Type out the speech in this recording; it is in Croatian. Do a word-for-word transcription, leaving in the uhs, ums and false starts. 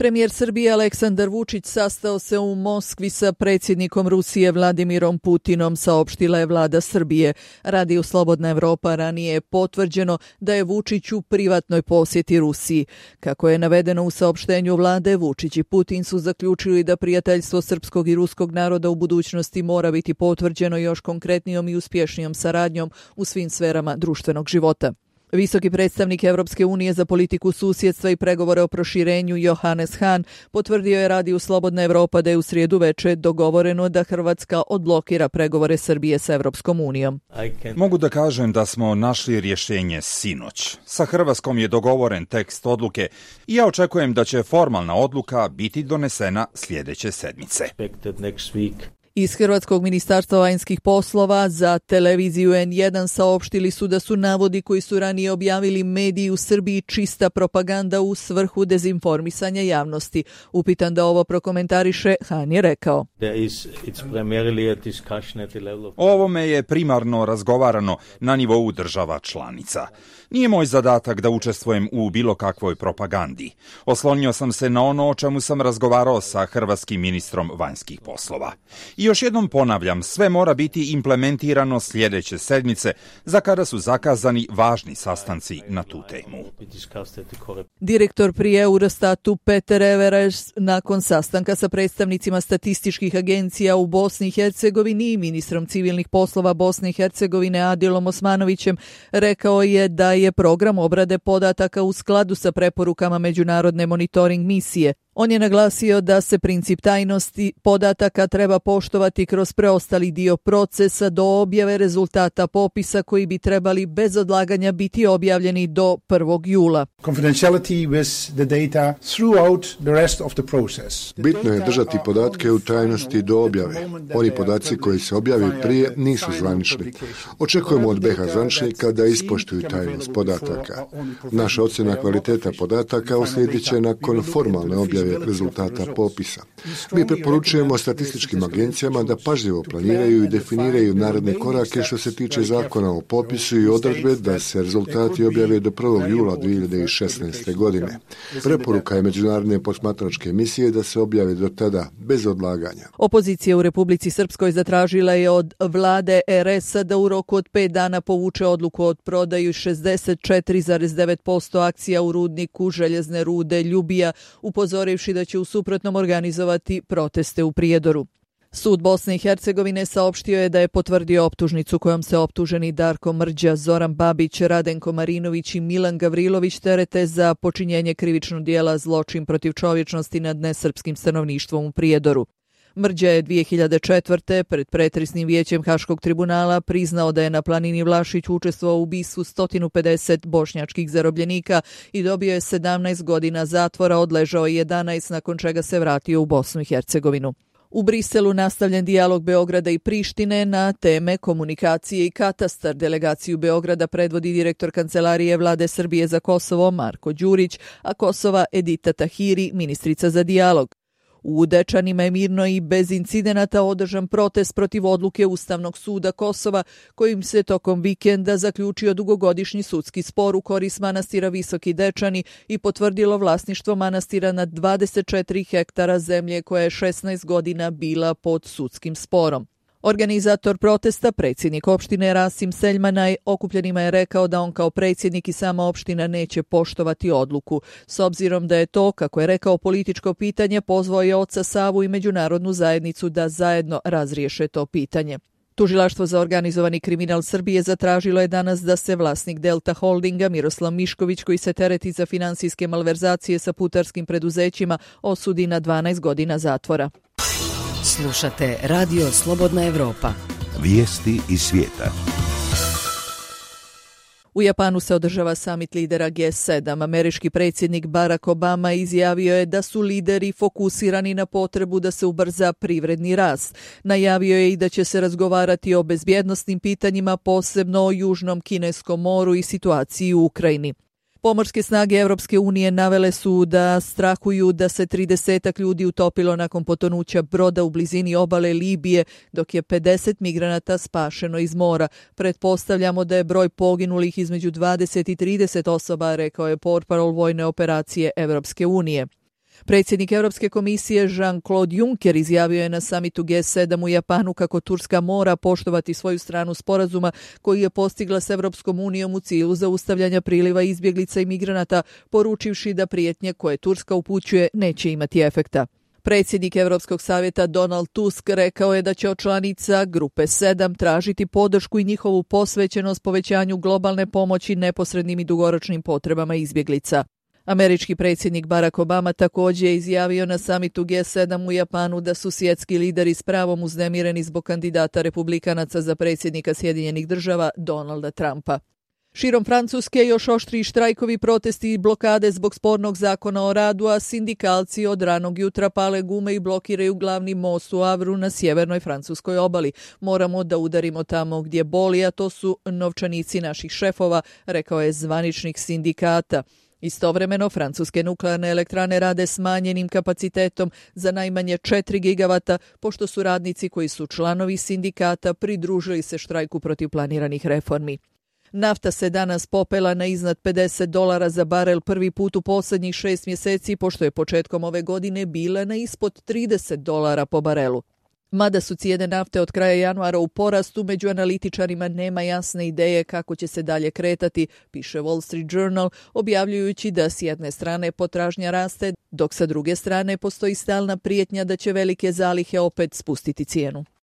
Premijer Srbije Aleksandar Vučić sastao se u Moskvi sa predsjednikom Rusije Vladimirom Putinom, saopštila je vlada Srbije. Radio Slobodna Evropa ranije je potvrđeno da je Vučić u privatnoj posjeti Rusiji. Kako je navedeno u saopštenju vlade, Vučić i Putin su zaključili da prijateljstvo srpskog i ruskog naroda u budućnosti mora biti potvrđeno još konkretnijom i uspješnijom saradnjom u svim sferama društvenog života. Visoki predstavnik Evropske unije za politiku susjedstva i pregovore o proširenju Johannes Hahn potvrdio je radiju Slobodna Evropa da je u srijedu veče dogovoreno da Hrvatska odblokira pregovore Srbije sa Evropskom unijom. Mogu da kažem da smo našli rješenje sinoć. Sa Hrvatskom je dogovoren tekst odluke i ja očekujem da će formalna odluka biti donesena sljedeće sedmice. Iz Hrvatskog ministarstva vanjskih poslova za televiziju en jedan saopštili su da su navodi koji su ranije objavili mediji u Srbiji čista propaganda u svrhu dezinformisanja javnosti. Upitan da ovo prokomentariše, Hahn je rekao: O ovome je primarno razgovarano na nivou država članica. Nije moj zadatak da učestvujem u bilo kakvoj propagandi. Oslonio sam se na ono o čemu sam razgovarao sa hrvatskim ministrom vanjskih poslova. I još jednom ponavljam, sve mora biti implementirano sljedeće sedmice, za kada su zakazani važni sastanci na tu temu. Direktor pri Eurostatu Peter Everers nakon sastanka sa predstavnicima statističkih agencija u Bosni i Hercegovini i ministrom civilnih poslova Bosne i Hercegovine Adilom Osmanovićem rekao je da je program obrade podataka u skladu sa preporukama međunarodne monitoring misije. On je naglasio da se princip tajnosti podataka treba poštovati kroz preostali dio procesa do objave rezultata popisa koji bi trebali bez odlaganja biti objavljeni do prvog jula. Bitno je držati podatke u tajnosti do objave. Oni podaci koji se objavaju prije nisu zvanični. Očekujemo od be ha zvaničnika da ispoštuju tajnost podataka. Naša ocjena kvaliteta podataka uslijedit će nakon formalne objave rezultata popisa. Mi preporučujemo statističkim agencijama da pažljivo planiraju i definiraju naredne korake što se tiče zakona o popisu i odredbe da se rezultati objave do prvog jula dvije hiljade šesnaeste. godine. Preporuka je međunarodne posmatračke misije da se objave do tada bez odlaganja. Opozicija u Republici Srpskoj zatražila je od vlade er es-a da u roku od pet dana povuče odluku od prodaju šezdeset četiri zarez devet posto akcija u rudniku željezne rude Ljubija, upozorivši da će u suprotnom organizovati proteste u Prijedoru. Sud Bosne i Hercegovine saopštio je da je potvrdio optužnicu kojom se optuženi Darko Mrđa, Zoran Babić, Radenko Marinović i Milan Gavrilović terete za počinjenje krivičnog dijela zločin protiv čovječnosti nad nesrpskim stanovništvom u Prijedoru. Mrđa je dvije hiljade četvrte. pred pretresnim vijećem Haškog tribunala priznao da je na planini Vlašić učestvovao u ubistvu sto pedeset bošnjačkih zarobljenika i dobio je sedamnaest godina zatvora, odležao je jedanaest nakon čega se vratio u Bosnu i Hercegovinu. U Briselu nastavljen dijalog Beograda i Prištine na teme komunikacije i katastar. Delegaciju Beograda predvodi direktor Kancelarije vlade Srbije za Kosovo Marko Đurić, a Kosova Edita Tahiri, ministrica za dijalog. U Dečanima je mirno i bez incidenata održan protest protiv odluke Ustavnog suda Kosova, kojim se tokom vikenda zaključio dugogodišnji sudski spor u korist manastira Visoki Dečani i potvrdilo vlasništvo manastira nad dvadeset četiri hektara zemlje koja je šesnaest godina bila pod sudskim sporom. Organizator protesta, predsjednik opštine Rasim Seljmanaj, okupljenima je rekao da on kao predsjednik i sama opština neće poštovati odluku. S obzirom da je to, kako je rekao, političko pitanje, pozvao je oca Savu i međunarodnu zajednicu da zajedno razriješe to pitanje. Tužilaštvo za organizovani kriminal Srbije zatražilo je danas da se vlasnik Delta Holdinga Miroslav Mišković, koji se tereti za finansijske malverzacije sa putarskim preduzećima, osudi na dvanaest godina zatvora. Slušate Radio Slobodna Evropa. Vijesti iz svijeta. U Japanu se održava samit lidera ge sedam. Američki predsjednik Barack Obama izjavio je da su lideri fokusirani na potrebu da se ubrza privredni rast. Najavio je i da će se razgovarati o bezbjednosnim pitanjima, posebno o Južnom Kineskom moru i situaciji u Ukrajini. Pomorske snage Evropske unije navele su da strahuju da se tridesetak ljudi utopilo nakon potonuća broda u blizini obale Libije, dok je pedeset migranata spašeno iz mora. Pretpostavljamo da je broj poginulih između dvadeset i trideset osoba, rekao je portparol vojne operacije Evropske unije. Predsjednik Europske komisije Jean-Claude Juncker izjavio je na samitu G sedam u Japanu kako Turska mora poštovati svoju stranu sporazuma koji je postigla s Europskom unijom u cilju zaustavljanja priliva izbjeglica i migranata, poručivši da prijetnje koje Turska upućuje neće imati efekta. Predsjednik Europskog savjeta Donald Tusk rekao je da će od članica Grupe sedam tražiti podršku i njihovu posvećenost povećanju globalne pomoći neposrednim i dugoročnim potrebama izbjeglica. Američki predsjednik Barack Obama također je izjavio na samitu G sedam u Japanu da su svjetski lideri s pravom uznemireni zbog kandidata republikanaca za predsjednika Sjedinjenih država Donalda Trumpa. Širom Francuske još oštriji štrajkovi, protesti i blokade zbog spornog zakona o radu, a sindikalci od ranog jutra pale gume i blokiraju glavni most u Avru na sjevernoj francuskoj obali. Moramo da udarimo tamo gdje boli, a to su novčanici naših šefova, rekao je zvaničnik sindikata. Istovremeno, francuske nuklearne elektrane rade smanjenim kapacitetom za najmanje četiri gigavata, pošto su radnici koji su članovi sindikata pridružili se štrajku protiv planiranih reformi. Nafta se danas popela na iznad pedeset dolara za barel prvi put u posljednjih šest mjeseci, pošto je početkom ove godine bila na ispod trideset dolara po barelu. Mada su cijene nafte od kraja januara u porastu, među analitičarima nema jasne ideje kako će se dalje kretati, piše Wall Street Journal, objavljujući da s jedne strane potražnja raste, dok sa druge strane postoji stalna prijetnja da će velike zalihe opet spustiti cijenu.